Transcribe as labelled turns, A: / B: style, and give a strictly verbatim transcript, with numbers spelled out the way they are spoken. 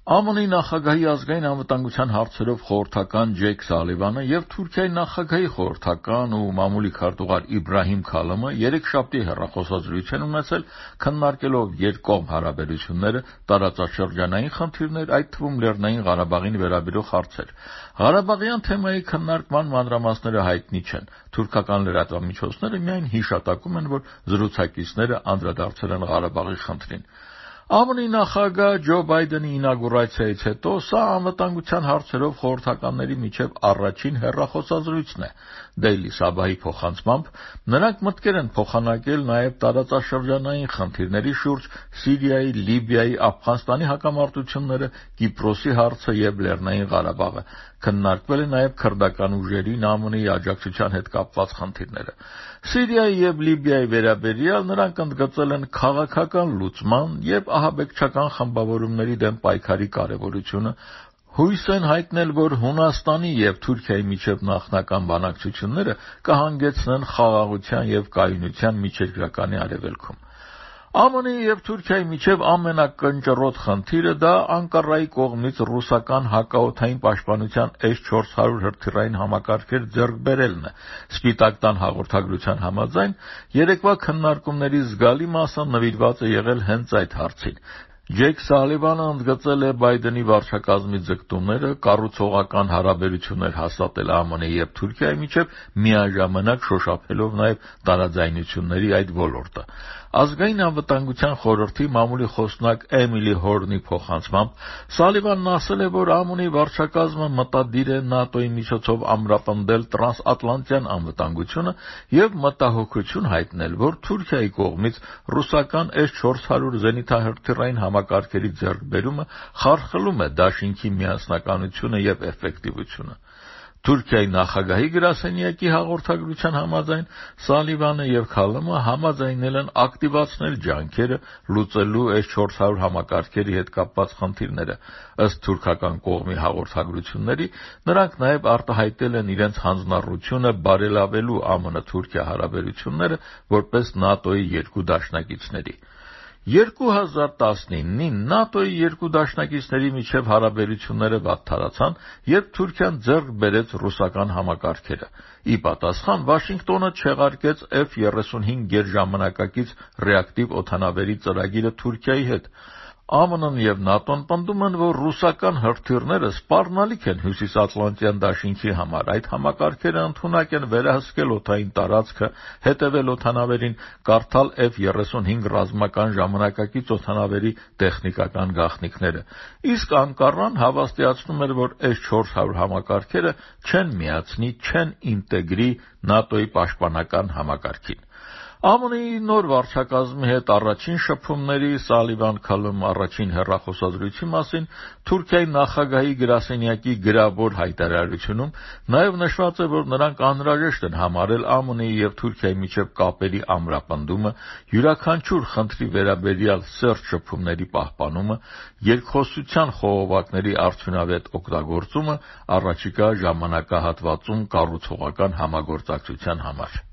A: ԱՄՆ-ի նախագահի ազգային անվտանգության հարցերով խորհրդական Ջեյք Սալիվանը եւ Թուրքիայի նախագահի խորհրդական ու մամուլի քարտուղար Իբրահիմ Քալամը երեքշաբթի հեռախոսազրույց են ունեցել, քննարկելով երկկողմ հարաբերությունները, տարածաշրջանային խնդիրներ, այդ թվում Լեռնային Ղարաբաղին վերաբերող հարցեր։ Ղարաբաղյան թեմայի քննարկման մանրամասները հայտնի չեն։ Թուրքական լրատվամիջոցները միայն հիշատակում են, որ զրուցակիցները անդրադարձել են Ղարաբաղի խնդրին։ ԱՄՆ-ի նախագահ Ջո Բայդենի ինագուրացիայից հետո սա անվտանգության հարցերով խորհրդականների միջև առաջին հեռախոսազրույցն է։ Դեյլի Սաբահի փոխանցմամբ նրանք մտքեր են փոխանակել նաև տարածաշրջանային խնդիրների շուրջ Սիրիայի, Լիբիայի, Աֆղանստանի հակամարտությունները, Կիպրոսի հարցը եւ Լեռնային Ղարաբաղը։ Քննարկվել է նաև քրդական ուժերին ԱՄՆ-ի աջակցության հետ կապված խնդիրները։ Սիրիայի եւ Լիբիայի վերաբերյալ նրանք ընդգծել են քաղաքական լուծման եւ ահաբեկչական խմբավորումների դեմ պայքարի կարեւորությունը, հույս են հայտնել, որ Հունաստանի եւ Թուրքիայի միջև նախնական բանակցությունները կհանգեցնեն խաղաղության եւ կայունության միջերկրականի արևելքում։ ԱՄՆ-ի եւ Թուրքիայի միջև ամենակնճռոտ խնդիրը դա Անկարայի կողմից ռուսական հակաօդային պաշտպանության էս չորս հարյուր հրթիռային համակարգեր ձեռք բերելն է։ Սպիտակ տան հաղորդագրության համաձայն երեկվա քննարկումների զգալի մասը նվիրված է եղել հենց այդ հարցին։ Ջեյք Սալիվանը ընդգծել է Բայդենի վարչակազմի ձգտումները կառուցողական հարաբերություններ հաստատել ԱՄՆ-ի եւ Թուրքիայի միջև, միաժամանակ շոշափելով նաեւ տարաձայնությունների այդ ոլորտը։ Ազգային անվտանգության խորհրդի մամուլի խոսնակ Էմիլի Հորնի փոխանցմամբ Սալիվանն ասել է, որ ԱՄՆ-ի վարչակազմը մտադիր է ՆԱՏՕ-ի միջոցով ամրապնդել տրանսատլանտյան անվտանգությունը եւ մտահոգություն հայտնել, որ Թուրքիայի կողմից ռուսական էս չորս հարյուր զենիթահրթիռային համակարգերի ձեռքբերումը խարխլում է դաշինքի միասնականությունը եւ էֆեկտիվությունը։ Թուրքիայի նախագահի գրասենյակի հաղորդագրության համաձայն Սալիվանը եւ Քալամը համաձայնել են ակտիվացնել ջանքերը լուծելու էս չորս հարյուր համակարգերի հետ կապված խնդիրները։ Ըստ թուրքական կողմի հաղորդագրությունների, նրանք նաեւ արտահայտել են իրենց հանձնառությունը բարելավելու ԱՄՆ-Թուրքիա հարաբերությունները որպես ՆԱՏՕ-ի երկու դաշնակիցների։ երկու հազար տասնինին ՆԱՏՕ-ի երկու դաշնակիցների միջև հարաբերությունները վատթարացան, երբ Թուրքիան ձեռք բերեց ռուսական համակարգերը։ Ի պատասխան Վաշինգտոնը չեղարկեց Էֆ երեսունհինգ գերժամանակակից ռեակտիվ օդանավերի ծրագիրը Թուրքիայի հետ։ ԱՄՆ-ն եւ ՆԱՏՕ-ն պնդում են, որ ռուսական հրթիռները սպառնալիք են Հյուսիսատլանտյան դաշինքի համար։ Այդ համակարգերը ընդունակ են վերահսկել օդային տարածքը, հետևել օդանավերին, կարդալ Էֆ երեսունհինգ ռազմական ժամանակակից օդանավերի տեխնիկական գաղտնիքները։ Իսկ Անկարան հավաստիացնում էր, որ էս չորս հարյուր համակարգերը չեն միացնի, չեն ինտեգրի ՆԱՏՕ-ի պաշտպանական համակարգին։ ԱՄՆ-ի նոր վարչակազմի հետ առաջին շփումների Սալիվան-Քալամ առաջին հեռախոսազրույցի մասին Թուրքիայի նախագահի գրասենյակի գրավոր հայտարարությունում նաև նշված է, որ նրանք անհրաժեշտ են համարել ԱՄՆ-ի եւ Թուրքիայի միջև կապերի ամրապնդումը, յուրաքանչյուր խնդրի վերաբերյալ սերտ շփումների պահպանումը, երկխոսության խողովակների արդյունավետ օգտագործումը առաջիկա ժամանակահատվածում կառուցողական համագործակցության համար։